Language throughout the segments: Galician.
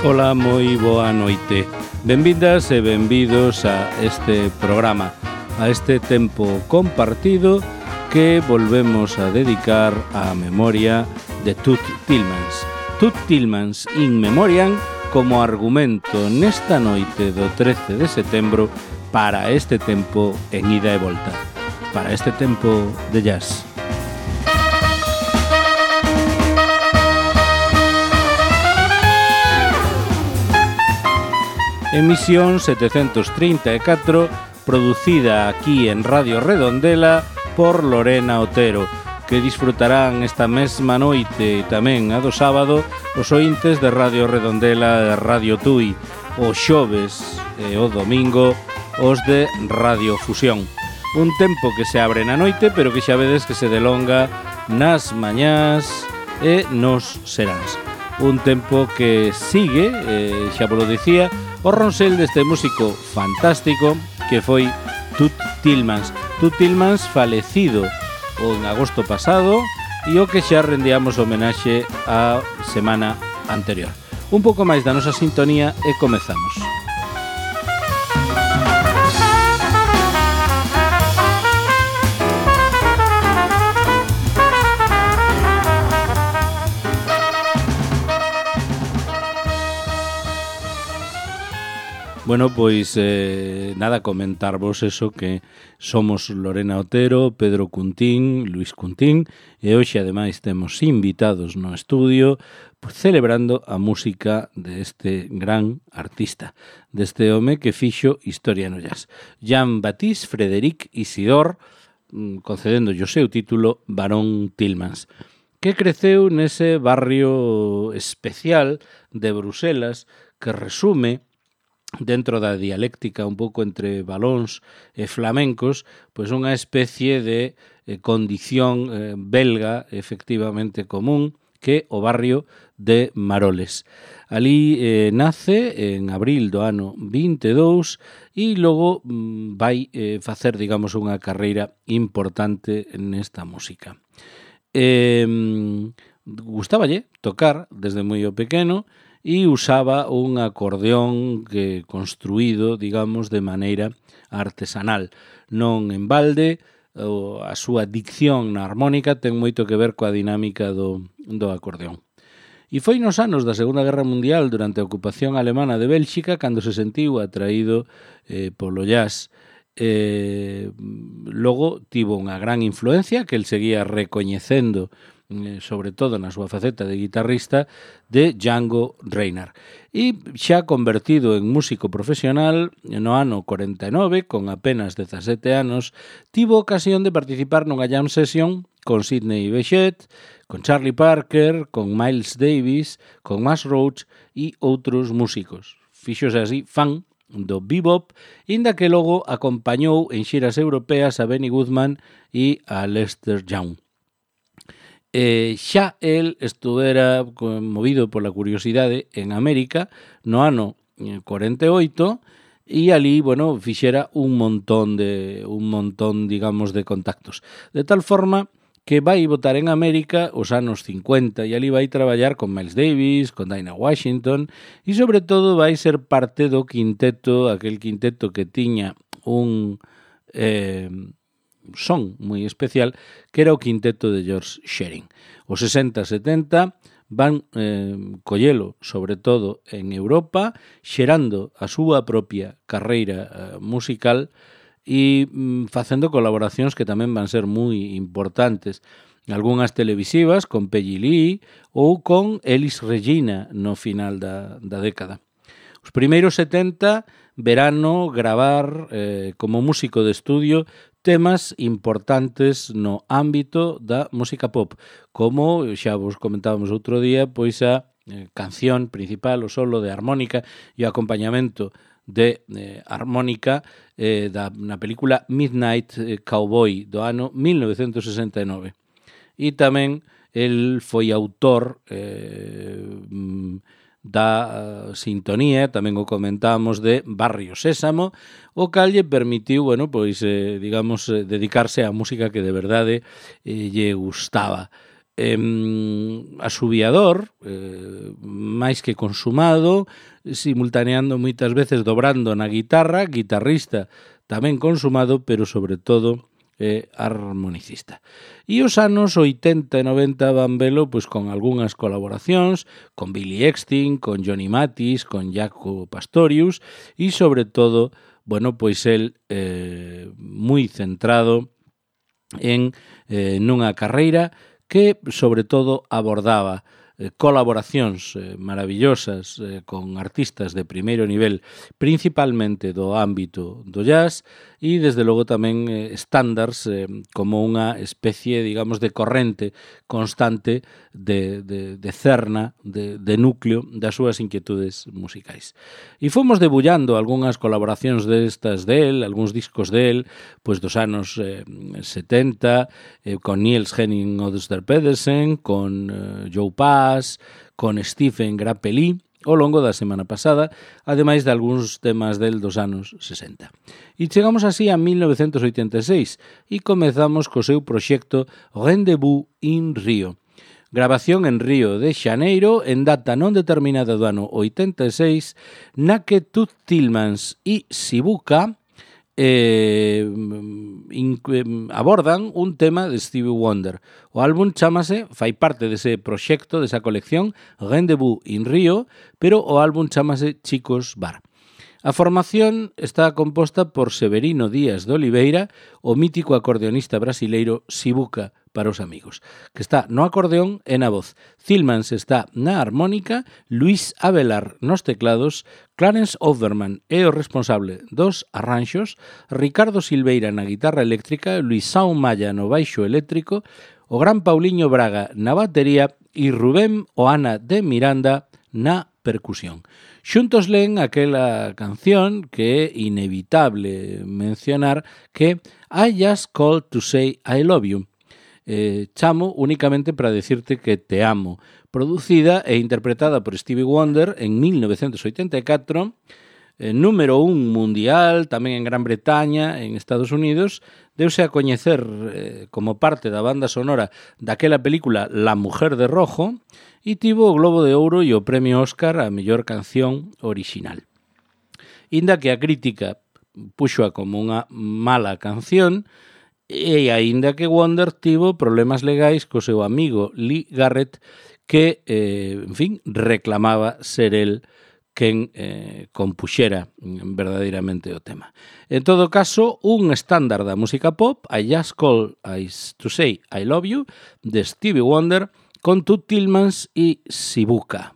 Ola, moi boa noite. Benvidas e benvidos a este programa, a este tempo compartido que volvemos a dedicar á memoria de Toots Thielemans. Toots Thielemans in memoriam como argumento nesta noite do 13 de setembro para este tempo en ida e volta, para este tempo de jazz. Emisión 734, producida aquí en Radio Redondela por Lorena Otero, que disfrutarán esta mesma noite e tamén a do sábado os ointes de Radio Redondela e Radio Tui, o xoves e o domingo os de Radio Fusión. Un tempo que se abre na noite, pero que xa vedes que se delonga nas mañás e nos seráns. Un tempo que sigue, xa vos lo dicía, o ronsel deste músico fantástico que foi Toots Thielemans. Toots Thielemans falecido en agosto pasado e o que xa rendíamos homenaxe a semana anterior. Un pouco máis da nosa sintonía e comezamos. Bueno, pois nada, comentarvos eso, que somos Lorena Otero, Pedro Cuntín, Luis Cuntín, e hoxe ademais temos invitados no estudio celebrando a música deste gran artista, deste home que fixo historia no jazz. Jean-Baptiste Frédéric Isidore, concedendo o seu título Barón Thielemans, que creceu nese barrio especial de Bruselas que resume dentro da dialéctica un pouco entre valóns e flamencos, pois unha especie de condición belga efectivamente común, que o barrio de Maroles. Ali nace en abril do ano 22 e logo vai facer, digamos, unha carreira importante nesta música. Gustáballe tocar desde moi pequeno, e usaba un acordeón que construído, digamos, de maneira artesanal. Non en balde, a súa dicción na armónica ten moito que ver coa dinámica do acordeón. E foi nos anos da Segunda Guerra Mundial, durante a ocupación alemana de Bélxica, cando se sentiu atraído polo jazz. Logo tivo unha gran influencia que el seguía recoñecendo, sobre todo na súa faceta de guitarrista, de Django Reinhardt. E xa convertido en músico profesional, no ano 49, con apenas 17 anos, tivo ocasión de participar nunha jam session con Sidney Bechet, con Charlie Parker, con Miles Davis, con Max Roach e outros músicos. Fíxose así fan do bebop, inda que logo acompañou en xiras europeas a Benny Goodman e a Lester Young. Xa el estuvera movido pola curiosidade en América no ano 48 e ali, bueno, fixera un montón, digamos, de contactos. De tal forma que vai votar en América os anos 50 e ali vai traballar con Miles Davis, con Dinah Washington e sobre todo vai ser parte do quinteto, aquel quinteto que tiña un son moi especial, que era o quinteto de George Shearing. Os 60-70 van collelo, sobre todo en Europa, xerando a súa propia carreira musical e facendo colaboracións que tamén van ser moi importantes. Algúnas televisivas con Peggy Lee ou con Elis Regina no final da década. Os primeiros 70 verano gravar como músico de estudio temas importantes no ámbito da música pop, como xa vos comentábamos outro día, pois a canción principal, o solo de armónica e o acompañamento de armónica na película Midnight Cowboy do ano 1969. E tamén el foi autor da sintonía, tamén o comentamos, de Barrio Sésamo, o cal lle permitiu, bueno, pois, digamos, dedicarse á música que de verdade lle gustaba. asubiador, máis que consumado, simultaneando moitas veces dobrando na guitarra, guitarrista tamén consumado, pero sobre todo armonicista. E os anos 80 e 90 van velo pois, con algunhas colaboracións con Billy Eckstine, con Johnny Mathis, con Jaco Pastorius e sobre todo, bueno, pois el moi centrado en nunha carreira que, sobre todo, abordaba colaboracións maravillosas con artistas de primeiro nivel, principalmente do ámbito do jazz, e, desde logo, tamén estándares como unha especie, digamos, de corrente constante de cerna, de núcleo das súas inquietudes musicais. E fomos debullando algunhas colaboracións destas del, algúns discos del, pois dos anos 70, con Niels Henning Odster-Pedersen, con Joe Pass, con Stephen Grappelli, ao longo da semana pasada, ademais de algúns temas del dos anos 60. E chegamos así a 1986 e comezamos co seu proxecto Rendezvous in Rio. Grabación en Río de Xaneiro en data non determinada do ano 86, na que Toots Thielemans e Sibuka abordan un tema de Stevie Wonder. O álbum chámase, fai parte dese proxecto, desa colección Rendezvous in Rio, pero o álbum chámase Chicos Bar. A formación está composta por Severino Díaz de Oliveira, o mítico acordeonista brasileiro Sibuka para os amigos, que está no acordeón e na voz. Thielemans está na armónica, Luis Avelar nos teclados, Clarence Overman é o responsable dos arranxos, Ricardo Silveira na guitarra eléctrica, Luisão Maya no baixo eléctrico, o gran Pauliño Braga na batería e Rubén Oana de Miranda na percusión. Xuntos leen aquela canción que é inevitable mencionar, que I Just Called to Say I Love You. Chamo únicamente para decirte que te amo, producida e interpretada por Stevie Wonder en 1984, número 1 mundial, tamén en Gran Bretaña, en Estados Unidos, deuse a coñecer como parte da banda sonora daquela película La Mujer de Rojo e tivo o Globo de Ouro e o Premio Óscar a mellor canción orixinal. Inda que a crítica puxoa como unha mala canción, e aínda que Wonder tivo problemas legais co seu amigo Lee Garrett, que, en fin, reclamaba ser el quen compuxera verdadeiramente o tema. En todo caso, un estándar da música pop, I Just Called to Say I Love You, de Stevie Wonder, con Toots Thielemans e Sibuka.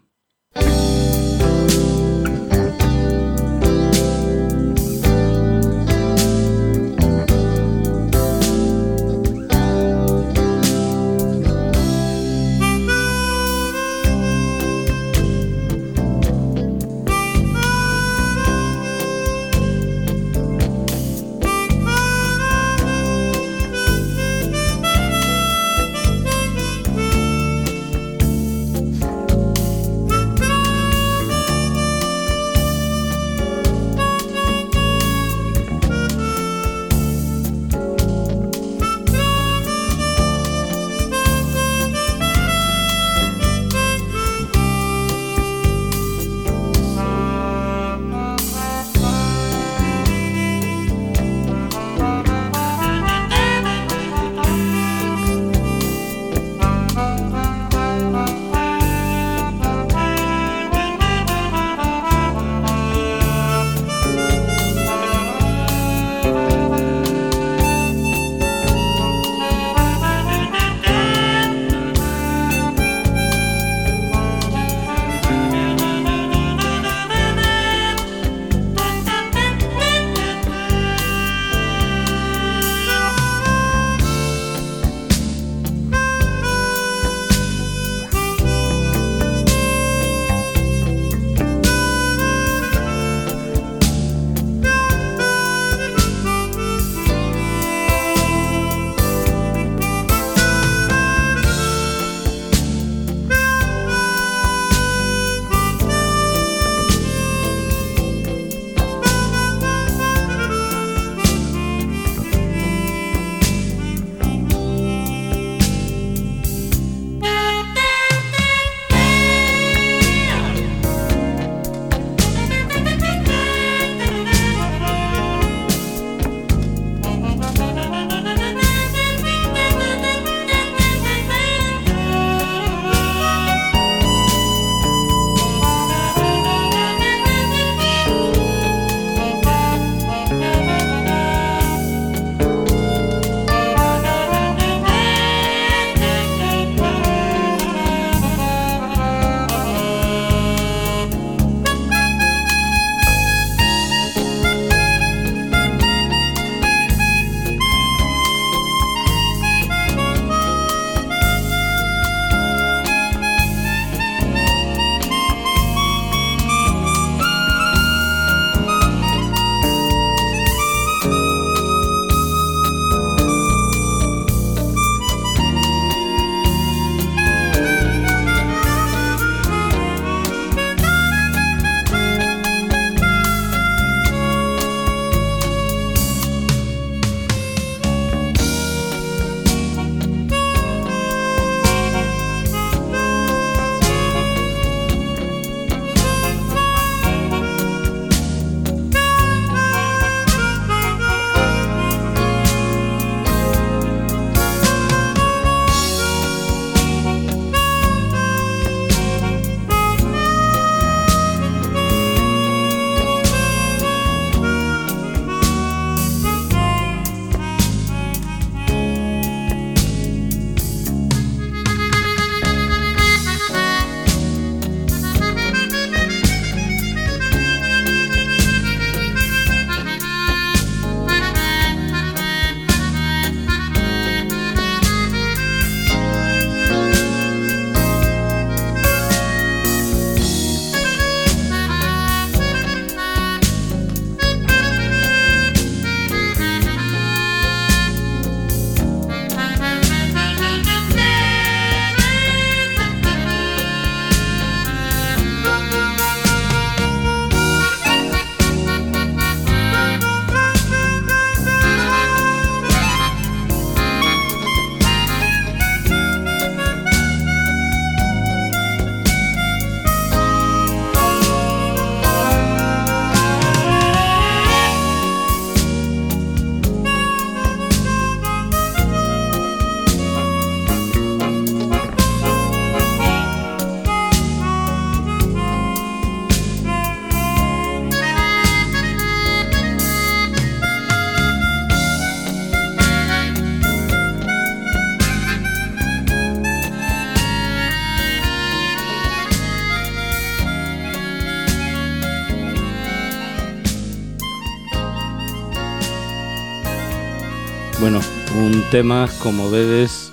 Un tema, como vedes,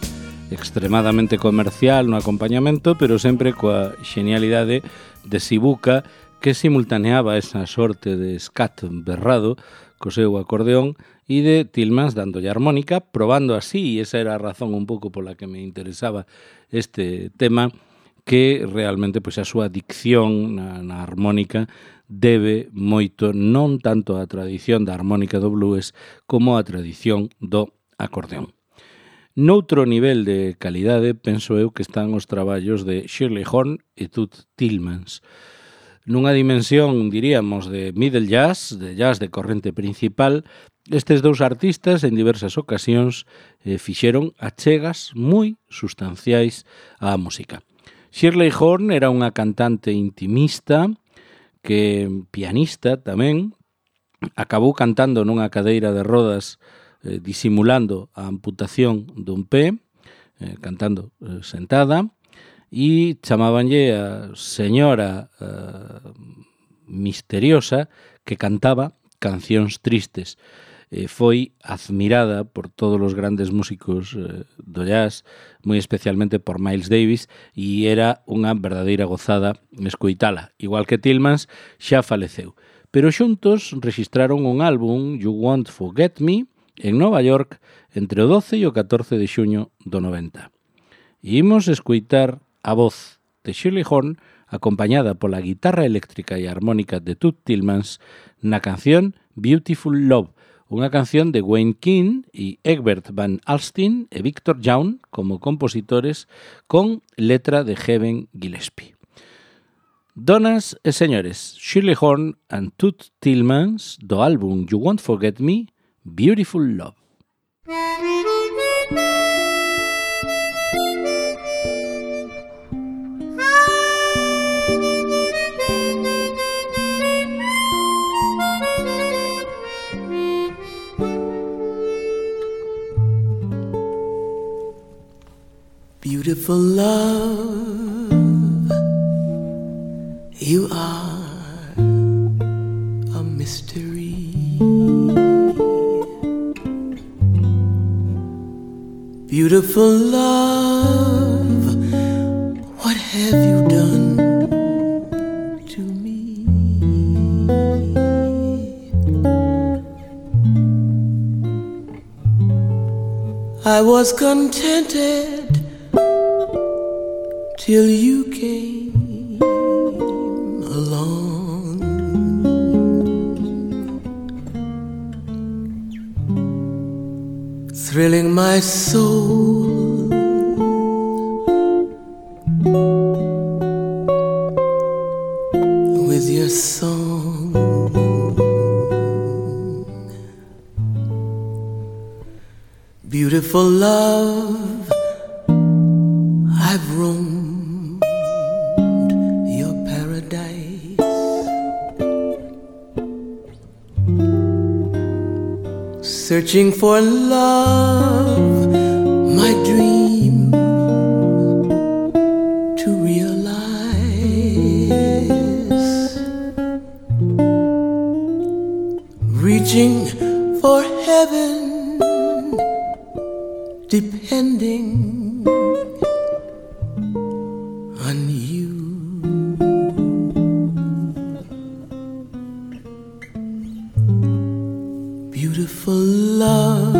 extremadamente comercial no acompañamento, pero sempre coa xenialidade de Sibuca, que simultaneaba esa sorte de scat berrado co seu acordeón e de Tillmans dándolle armónica, probando así, e esa era a razón un pouco pola que me interesaba este tema, que realmente pois a súa dicción na armónica debe moito non tanto á tradición da armónica do blues como á tradición do acordeón. Noutro nivel de calidade, penso eu que están os traballos de Shirley Horn e Toots Tillmans. Nunha dimensión, diríamos, de middle jazz, de jazz de corrente principal, estes dous artistas en diversas ocasións fixeron achegas moi sustanciais á música. Shirley Horn era unha cantante intimista, que pianista tamén, acabou cantando nunha cadeira de rodas disimulando a amputación dun pé, cantando sentada, e chamábanlle a señora misteriosa que cantaba cancións tristes. Foi admirada por todos os grandes músicos do jazz, moi especialmente por Miles Davis, e era unha verdadeira gozada escoitala. Igual que Tillmans, xa faleceu. Pero xuntos registraron un álbum, You Won't Forget Me, en Nova York, entre o 12 e o 14 de xuño do 90. E imos escoitar a voz de Shirley Horn acompañada pola guitarra eléctrica e armónica de Toots Tillmans na canción Beautiful Love, unha canción de Wayne King e Egbert Van Alstyne e Victor Young como compositores con letra de Heaven Gillespie. Donas e señores, Shirley Horn and Toots Tillmans do álbum You Won't Forget Me, Beautiful Love. Beautiful love, you are a mystery. Beautiful love, what have you done to me? I was contented till you came along. Thrilling my soul with your song. Beautiful love, I've roamed your paradise, searching for love, my dream to realize, reaching for heaven, depending on you. Beautiful love,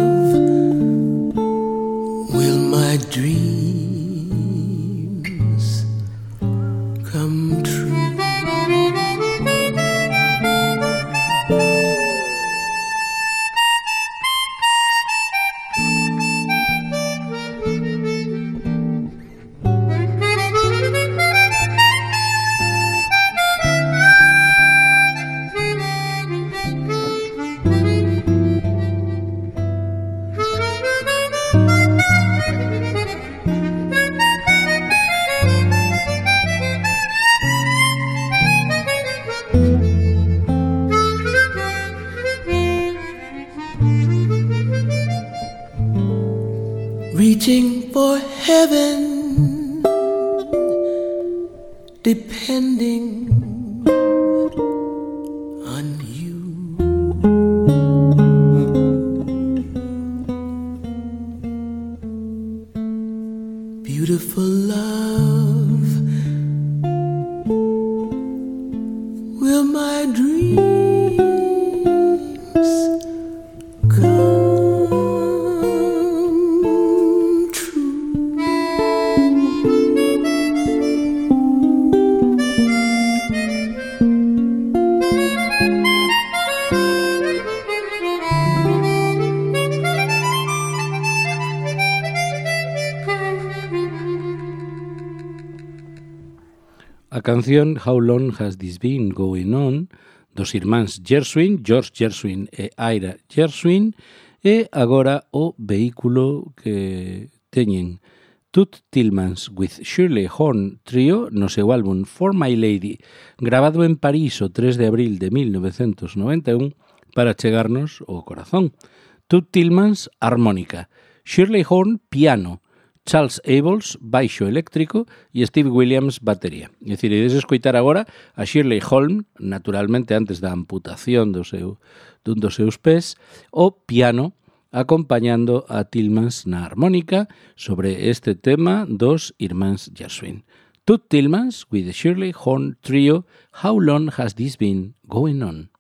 will my dreams come true? Reaching for heaven, depending on you. beautiful love. Will my dreams come true? A canción How Long Has This Been Going On dos irmáns Gershwin, George Gershwin e Ira Gershwin, e agora o vehículo que teñen Toots Thielemans with Shirley Horn Trio no seu álbum For My Lady, grabado en París o 3 de abril de 1991 para chegarnos ao corazón. Toots Thielemans, armónica, Shirley Horn, piano, Charles Abels, baixo eléctrico e Steve Williams, batería. É dicir, ides escoitar agora a Shirley Horn, naturalmente antes da amputación dun dos seus pés, o piano, acompañando a Thielemans na armónica sobre este tema dos irmáns Gershwin. Toots Thielemans with the Shirley Horn Trio, How Long Has This Been Going On?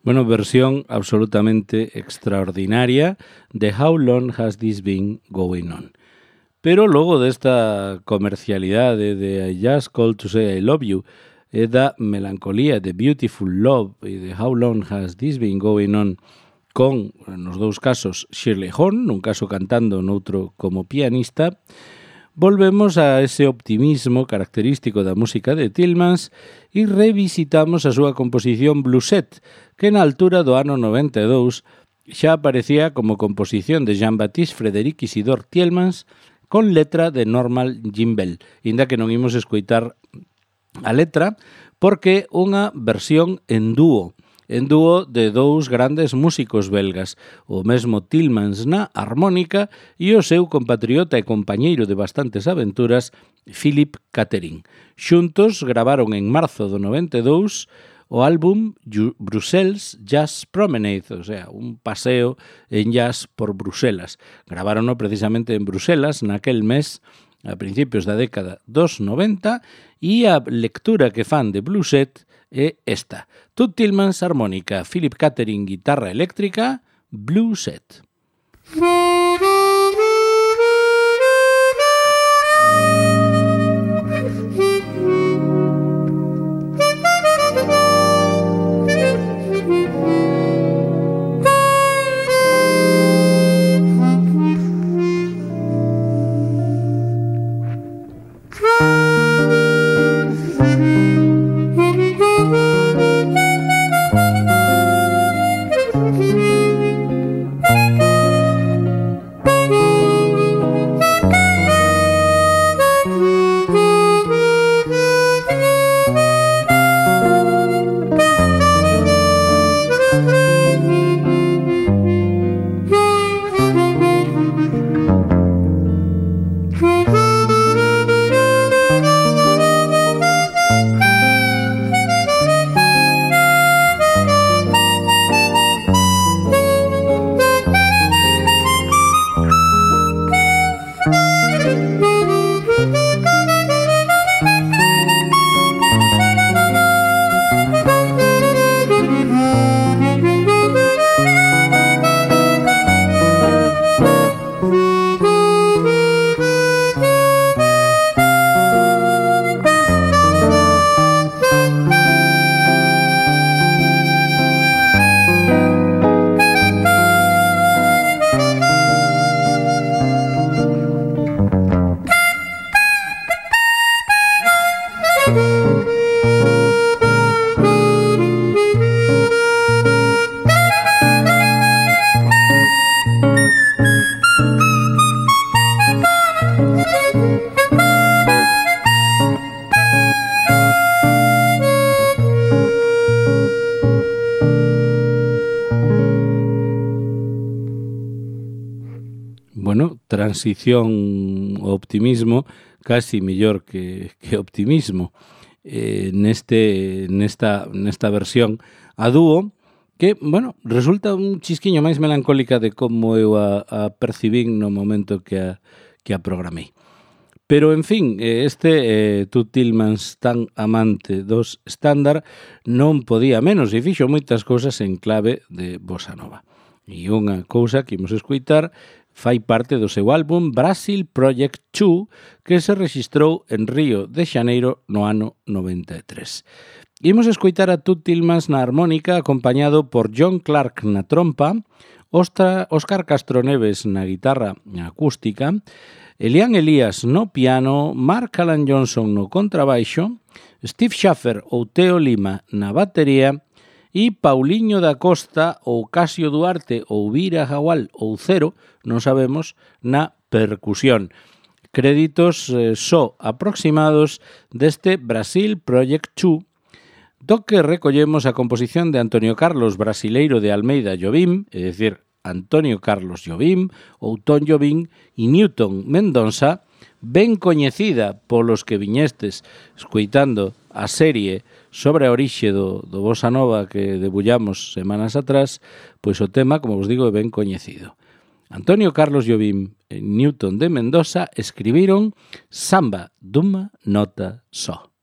Bueno, versión absolutamente extraordinaria de How Long Has This Been Going On. Pero logo desta comercialidade de I Just Called to Say I Love You e da melancolía de Beautiful Love e de How Long Has This Been Going On con, nos dous casos, Shirley Horn, nun caso cantando, noutro como pianista, volvemos a ese optimismo característico da música de Tillmans e revisitamos a súa composición Bluesette, que na altura do ano 92 xa aparecía como composición de Jean-Baptiste Frédéric Isidore Tillmans con letra de Norman Gimbel, inda que non imos escoitar a letra, porque unha versión en dúo de dous grandes músicos belgas, o mesmo Tillmans na armónica e o seu compatriota e compañeiro de bastantes aventuras, Philip Catherine. Xuntos gravaron en marzo do 92 o álbum Brussels Jazz Promenade, o sea, un paseo en jazz por Bruselas. Gravárono precisamente en Bruselas naquel mes, a principios da década dos 90, e a lectura que fan de Bluesette é esta. Tut Tillmans armónica, Philip Catherine guitarra eléctrica, Bluesette. Transición ao optimismo, casi mellor que optimismo, nesta versión a dúo, que, bueno, resulta un chisquiño máis melancólica de como eu a percibín no momento que a programei. Pero, en fin, Tut Tillmans, tan amante dos estándar, non podía menos e fixo moitas cousas en clave de bossa nova. E unha cousa que imos escoitar fai parte do seu álbum Brazil Project 2, que se rexistrou en Río de Xaneiro no ano 93. Imos escoitar a Tut Tillmans na armónica, acompañado por John Clark na trompa, Óscar Castro Neves na guitarra acústica, Elian Elías no piano, Mark Alan Johnson no contrabaixo Steve Schaffer ou Teo Lima na batería e Pauliño da Costa ou Casio Duarte ou Vira Jagual ou Cero, non sabemos, na percusión. Créditos só aproximados deste Brasil Project 2, do que recollemos a composición de Antonio Carlos Brasileiro de Almeida Jobim, é dicir, Antonio Carlos Jobim, ou Tom Jobim e Newton Mendonça, ben coñecida polos que viñestes escoitando a serie sobre a orixe do Bossa Nova que debullamos semanas atrás, pois o tema, como vos digo, é ben coñecido. Antonio Carlos Jobim e Newton de Mendoza escribiron Samba dunha nota só.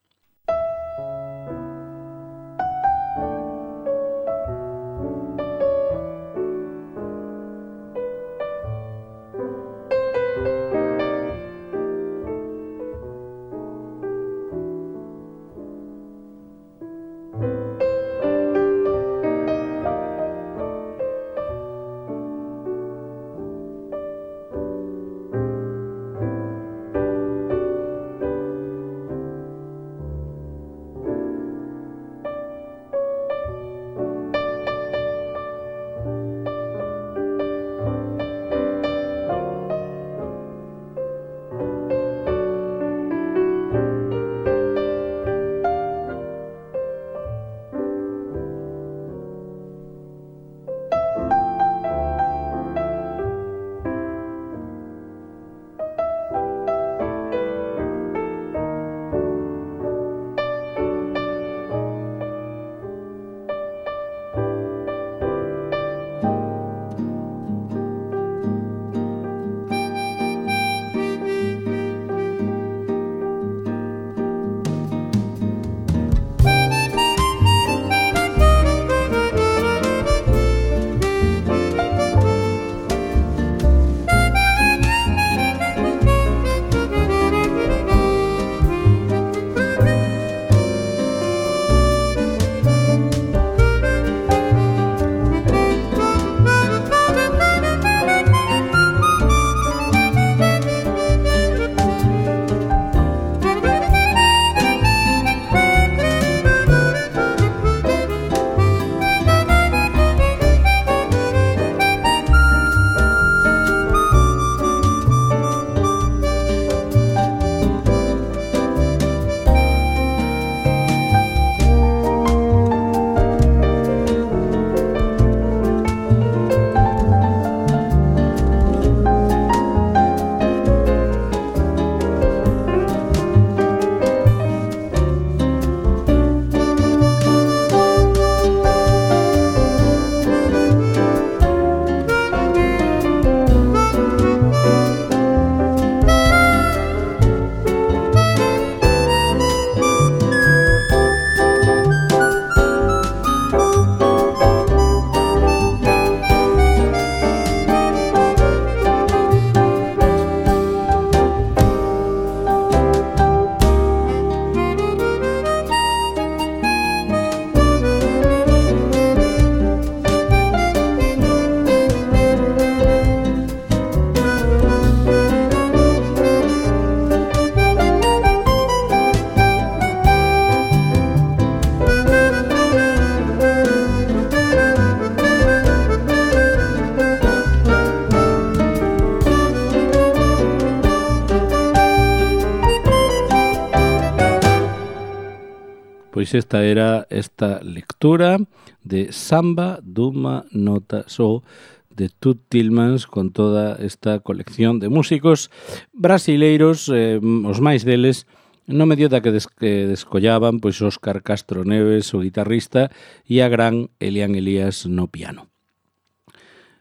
Pois esta era esta lectura de Samba dunha nota só de Tut Tillmans con toda esta colección de músicos brasileiros, os máis deles no medio da que descollaban pois Óscar Castro Neves, o guitarrista, e a gran Elian Elías no piano.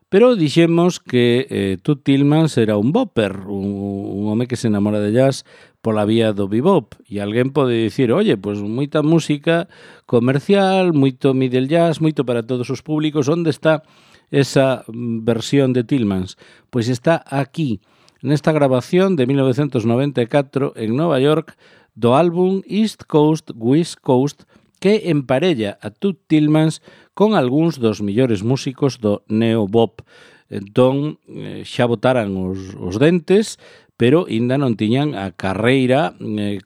Pero dixemos que Tut Tillmans era un bopper, un home que se enamora de jazz pola vía do bebop. E alguén pode dicir, oye, pois moita música comercial, moito middle jazz, moito para todos os públicos. Onde está esa versión de Tillmans? Pois está aquí, nesta grabación de 1994 en Nova York do álbum East Coast, West Coast, que emparella a Tut Tillmans con algúns dos millores músicos do neo-bop. Entón, xa botaran os dentes, pero ainda non tiñan a carreira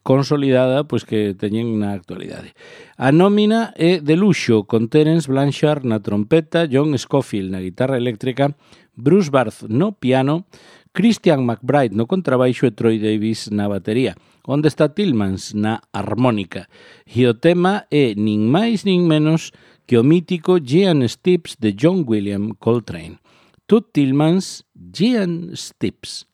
consolidada pois que teñen na actualidade. A nómina é de luxo, con Terence Blanchard na trompeta, John Scofield na guitarra eléctrica, Bruce Barth no piano, Christian McBride no contrabaixo e Troy Davis na batería. Onde está Tillmans na armónica. E o tema é nin máis nin menos que o mítico Giant Steps de John William Coltrane. Toots Tillmans, Giant Steps.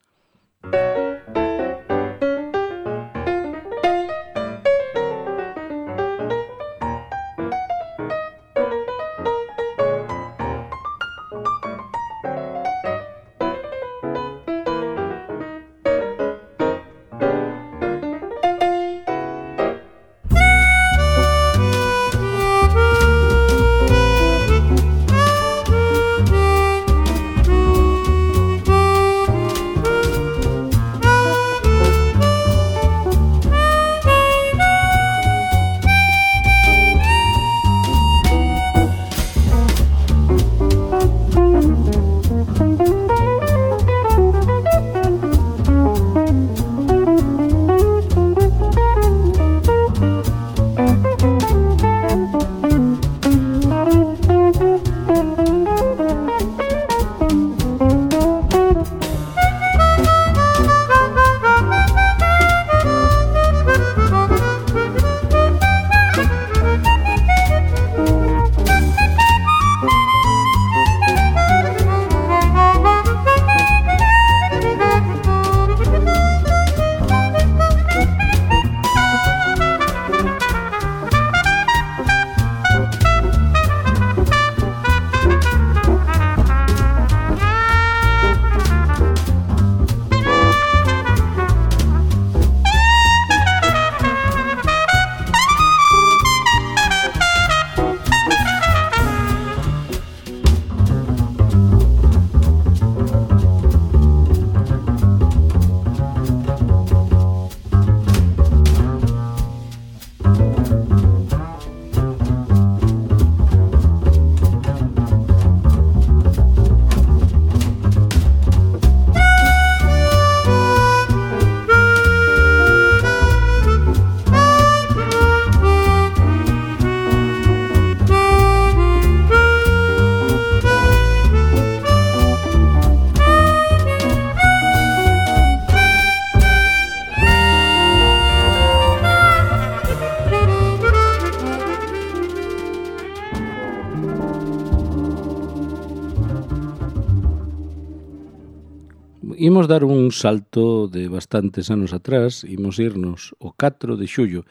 Imos dar un salto de bastantes anos atrás, imos irnos o 4 de xullo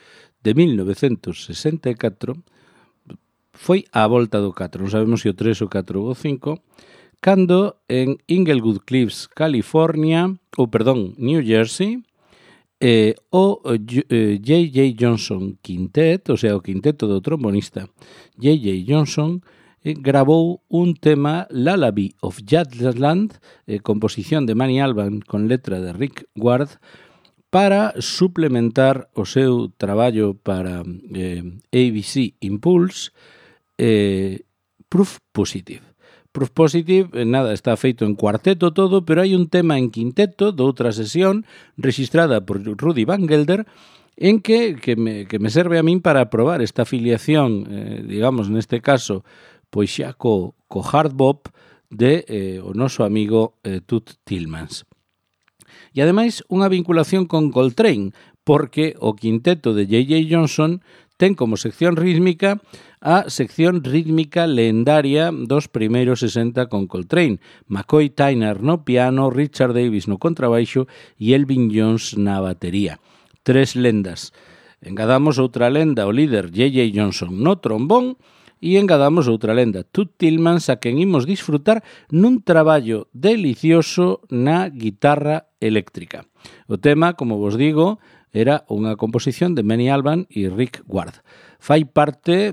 de 1964, foi a volta do 4, non sabemos se o 3, o 4 ou o 5, cando en Inglewood Cliffs, California, New Jersey, o J.J. Johnson Quintet, o sea, o quinteto do trombonista J.J. Johnson, grabou un tema, Lullaby of Jazzland, composición de Manny Alban con letra de Rick Ward, para suplementar o seu traballo para ABC Impulse, Proof Positive. Proof Positive, nada, está feito en cuarteto todo, pero hai un tema en quinteto de outra sesión registrada por Rudy Van Gelder, en que me serve a min para probar esta afiliación, digamos, neste caso, pois xa co hard bop de o noso amigo Toots Tillmans. E ademais unha vinculación con Coltrane, porque o quinteto de J.J. Johnson ten como sección rítmica a sección rítmica lendaria dos primeiros 60 con Coltrane, McCoy Tyner no piano, Richard Davis no contrabaixo e Elvin Jones na batería. 3 lendas. Engadamos outra lenda, o líder J.J. Johnson no trombón, e engadamos outra lenda, Toots Tillmans, a quen imos disfrutar nun traballo delicioso na guitarra eléctrica. O tema, como vos digo, era unha composición de Manny Alban e Rick Ward. Fai parte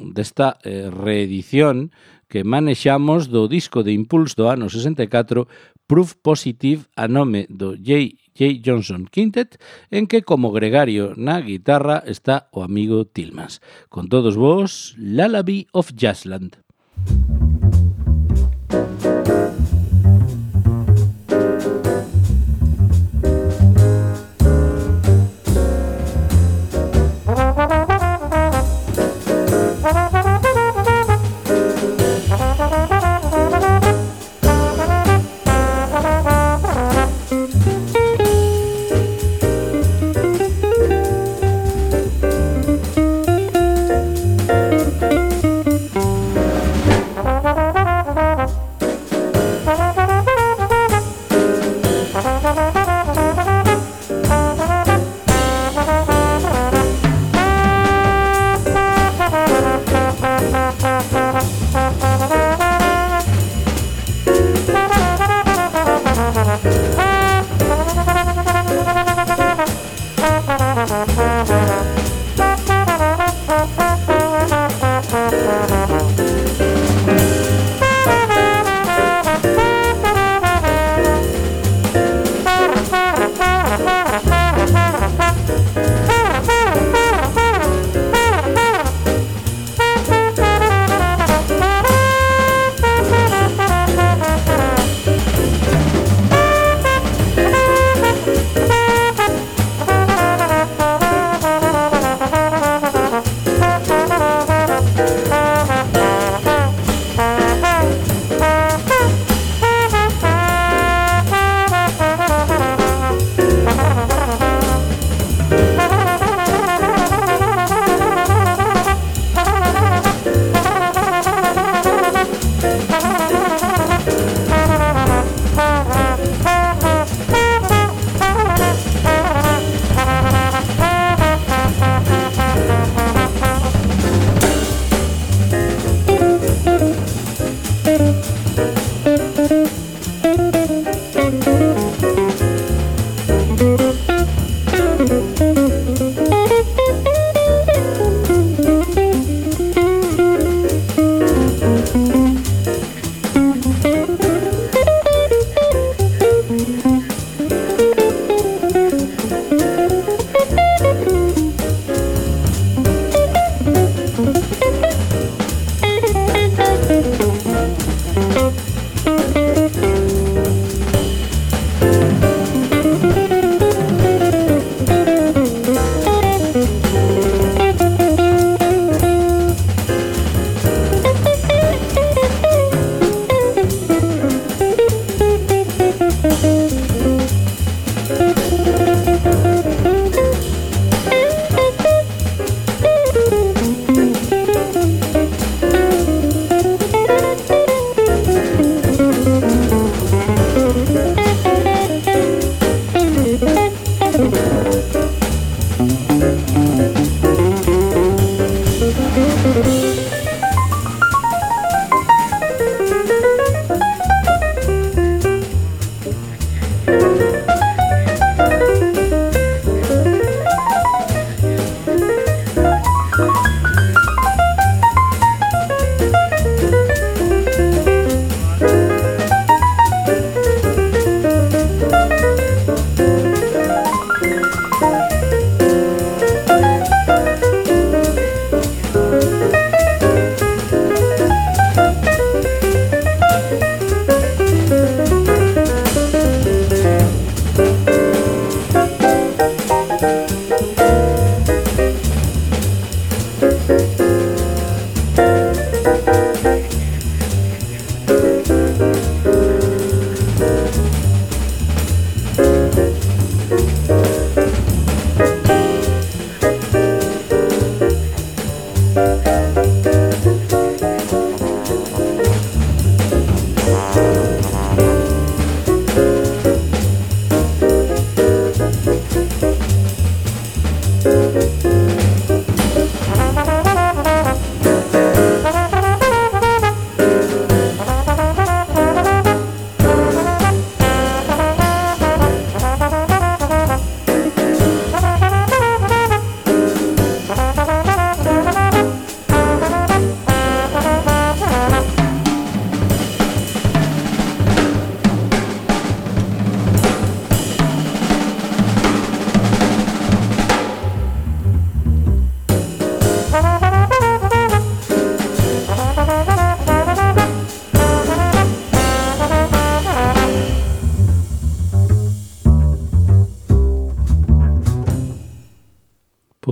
desta reedición que manexamos do disco de Impulse do ano 64, Proof Positive, a nome do J.J. Johnson Quintet, en que como gregario na guitarra está o amigo Tillmans. Con todos vos, Lullaby of Jazzland.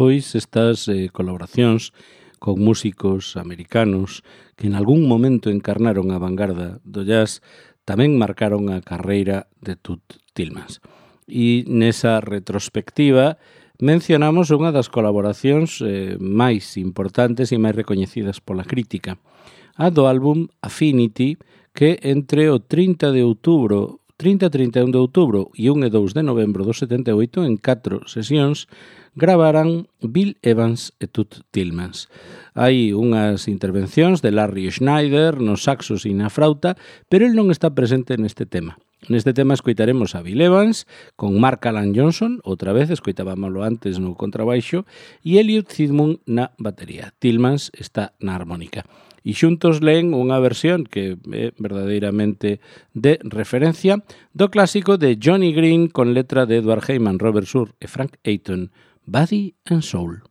Pois estas colaboracións con músicos americanos que en algún momento encarnaron a vanguarda do jazz tamén marcaron a carreira de Tut Tillmans. E nesa retrospectiva mencionamos unha das colaboracións máis importantes e máis recoñecidas pola crítica, a do álbum Affinity, que entre o 30 e 31 de outubro e 1 e 2 de novembro do 78 en 4 sesións gravaran Bill Evans e Tut Tillmans. Hai unhas intervencións de Larry Schneider nos saxos e na frauta, pero el non está presente neste tema. Neste tema escoitaremos a Bill Evans con Mark Alan Johnson, outra vez escoitábamolo antes no contrabaixo, e Elliot Sidmund na batería. Tillmans está na armónica. E xuntos leen unha versión que é verdadeiramente de referencia do clásico de Johnny Green con letra de Edward Heyman, Robert Sur e Frank Ayton, Body and Soul.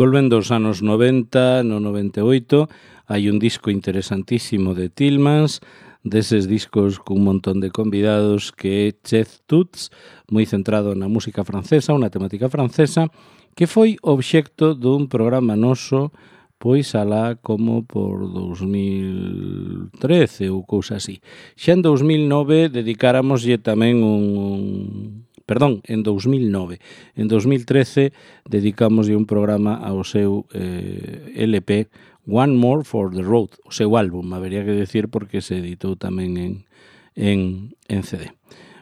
Volvendo aos anos 90, no 98, hai un disco interesantísimo de Tillmans, deses discos cun montón de convidados, que é Chef Tuts, moi centrado na música francesa, unha temática francesa, que foi obxecto dun programa noso, pois alá como por 2013 ou cousa así. Xa en 2009 dedicáramoslle tamén en 2009. En 2013 dedicámoslle un programa ao seu LP One More for the Road, o seu álbum, habería que decir porque se editou tamén en CD.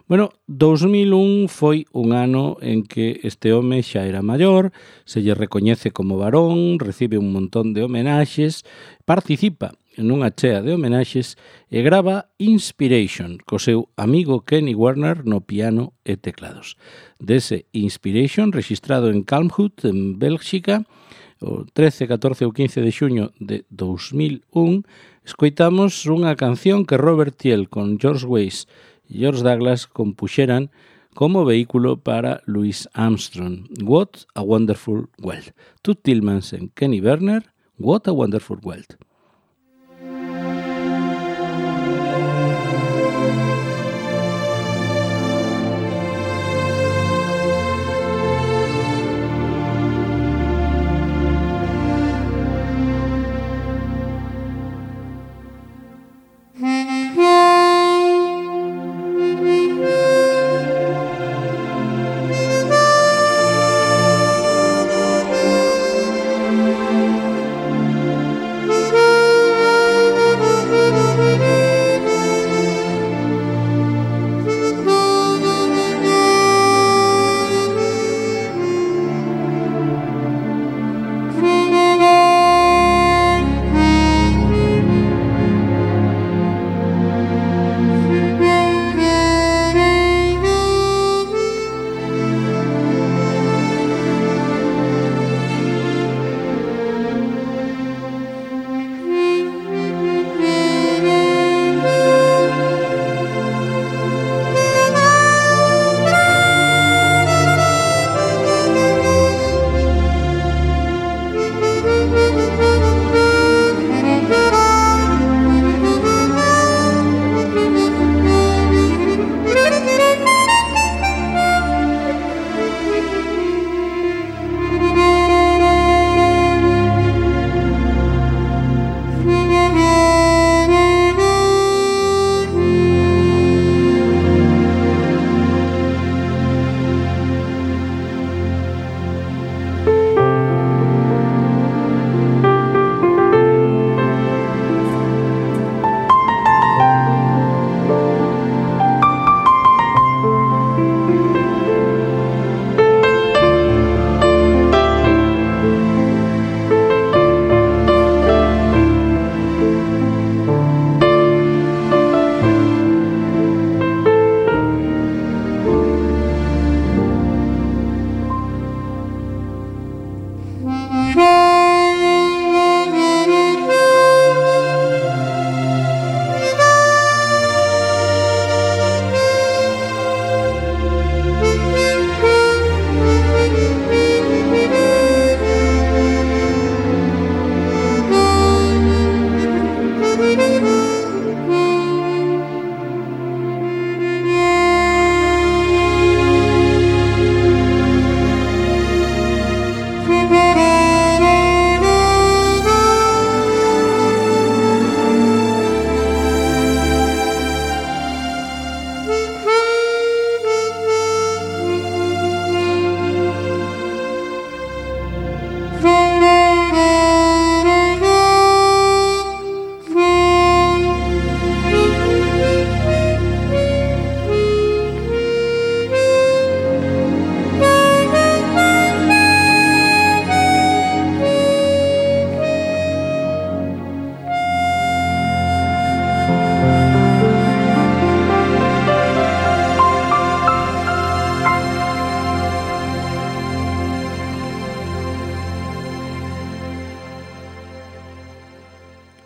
Bueno, 2001 foi un ano en que este home xa era maior, se lle recoñece como varón, recibe un montón de homenaxes, participa nunha chea de homenaxes e grava Inspiration co seu amigo Kenny Werner no piano e teclados. Dese Inspiration, registrado en Kalmthout, en Bélxica, o 13, 14 ou 15 de xuño de 2001, escoitamos unha canción que Robert Thiel con George Weiss e George Douglas compuxeran como vehículo para Louis Armstrong. What a Wonderful World. Toots Thielemans en Kenny Werner, What a Wonderful World.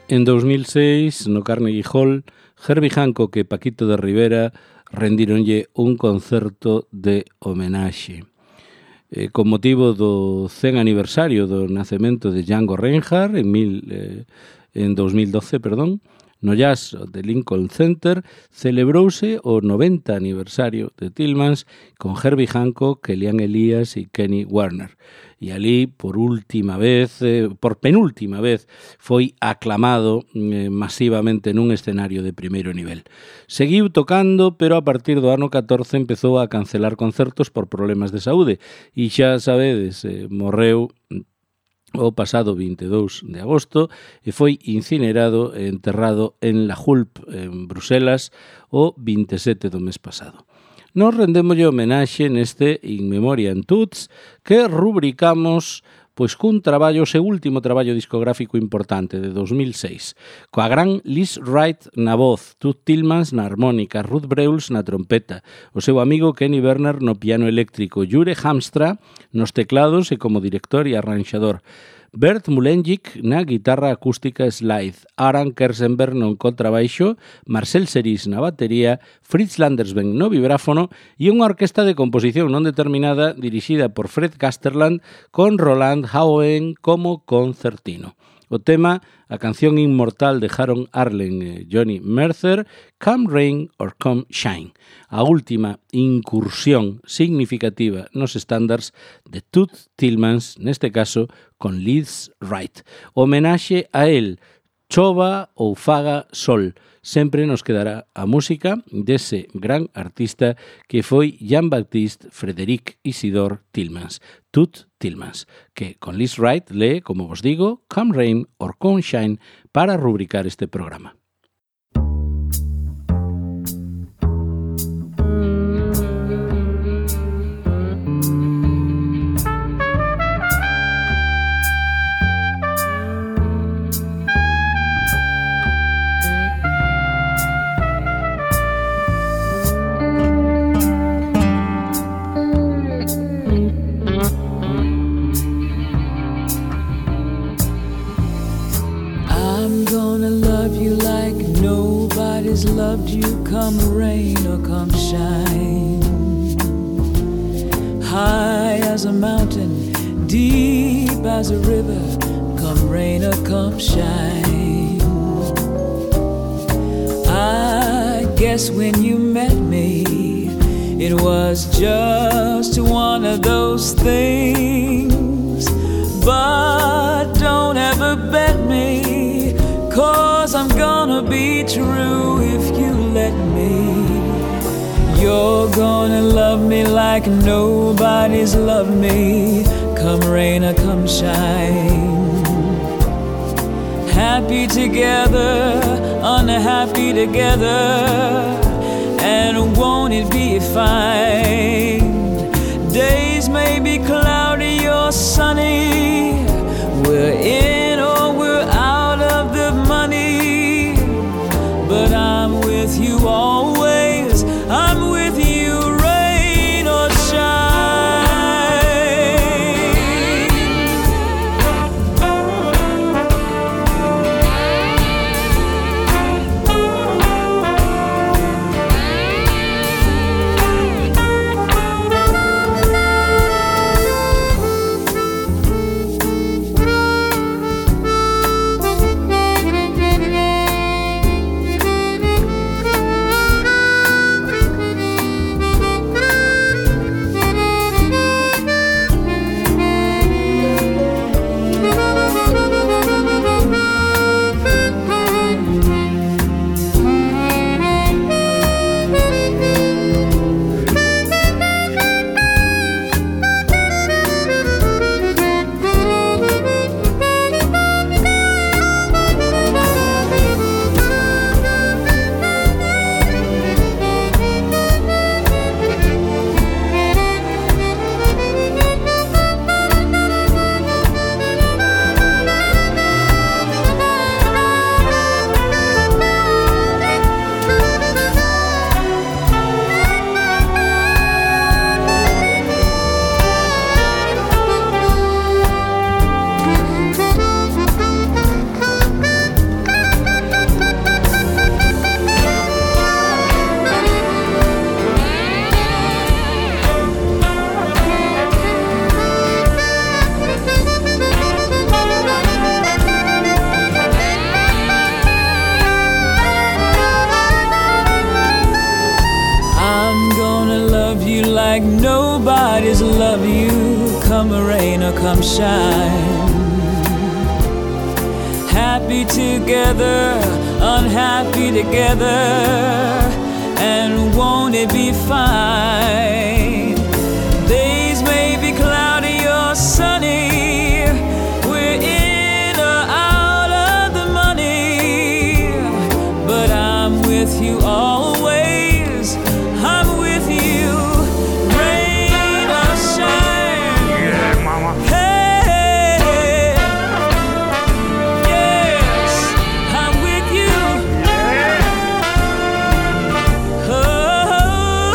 En 2006, no Carnegie Hall, Herbie Hancock e Paquito de Rivera rendíronlle un concerto de homenaxe. Con motivo do 100 aniversario do nacemento de Django Reinhardt en 2012, no Jazz de Lincoln Center celebrouse o 90 aniversario de Tillmans con Herbie Hancock, Elian Elias e Kenny Werner. E ali, por penúltima vez, foi aclamado masivamente nun escenario de primeiro nivel. Seguiu tocando, pero a partir do ano 14 empezou a cancelar concertos por problemas de saúde. E xa sabedes, morreu o pasado 22 de agosto e foi incinerado e enterrado en La Hulpe, en Bruselas, o 27 do mes pasado. Nos rendémoslle homenaxe neste In Memoriam Tuts que rubricamos pois cun traballo, o seu último traballo discográfico importante de 2006, coa gran Liz Wright na voz, Toots Thielemans na armónica, Ruth Breuls na trompeta, o seu amigo Kenny Werner no piano eléctrico, Jure Hamstra nos teclados e como director e arranxador, Bert Mulenjik na guitarra acústica slide, Aran Kersenberg no contrabaixo, Marcel Seris na batería, Fritz Landersben no vibráfono e unha orquesta de composición non determinada dirixida por Fred Gasterland con Roland Howen como concertino. O tema, a canción inmortal de Harold Arlen e Johnny Mercer, Come Rain or Come Shine, a última incursión significativa nos estándares de Toots Thielemans, neste caso con Liz Wright. Homenaxe a él, chova ou faga sol, sempre nos quedará a música dese gran artista que foi Jean-Baptiste Frédéric Isidore Tillmans, Toots Thielemans, que con Liz Wright lee, como vos digo, Come Rain or Come Shine para rubricar este programa. Loved you, come rain or come shine. High as a mountain, deep as a river, come rain or come shine. I guess when you met me, it was just one of those things. But don't ever bet me, 'cause I'm gonna be true if you let me. You're gonna love me like nobody's loved me, come rain or come shine. Happy together, unhappy together, and won't it be fine? Days may be cloudy or sunny, we're in or we're out of the money, but I'm with you always, I'm with you rain or come rain or come shine. Happy together, unhappy together, and won't it be fine? Days may be cloudy or sunny, we're in or out of the money, but I'm with you always, I'm with you, rain or shine. Yeah, mama. Hey, yes, I'm with you. Oh,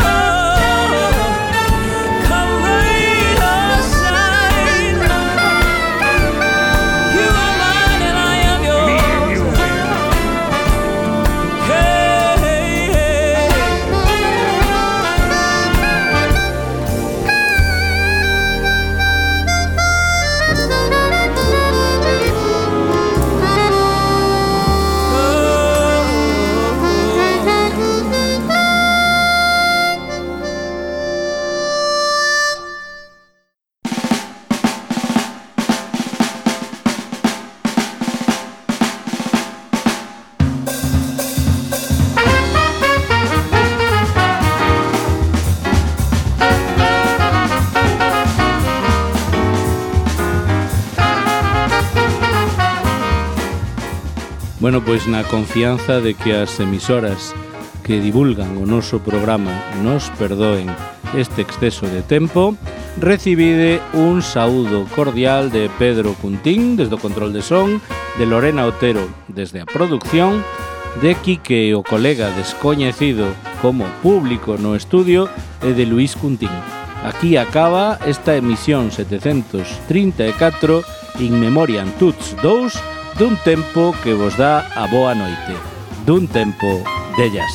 come rain or shine, you are mine and I am Me and yours. you, man. Bueno, pois na confianza de que as emisoras que divulgan o noso programa nos perdoen este exceso de tempo, recibide un saúdo cordial de Pedro Cuntín desde o control de son, de Lorena Otero desde a producción, de Quique, o colega descoñecido como público no estudio, e de Luís Cuntín. Aquí acaba esta emisión 734 In Memoriam Tuts 2 dun tempo que vos dá a boa noite, dun tempo de jazz.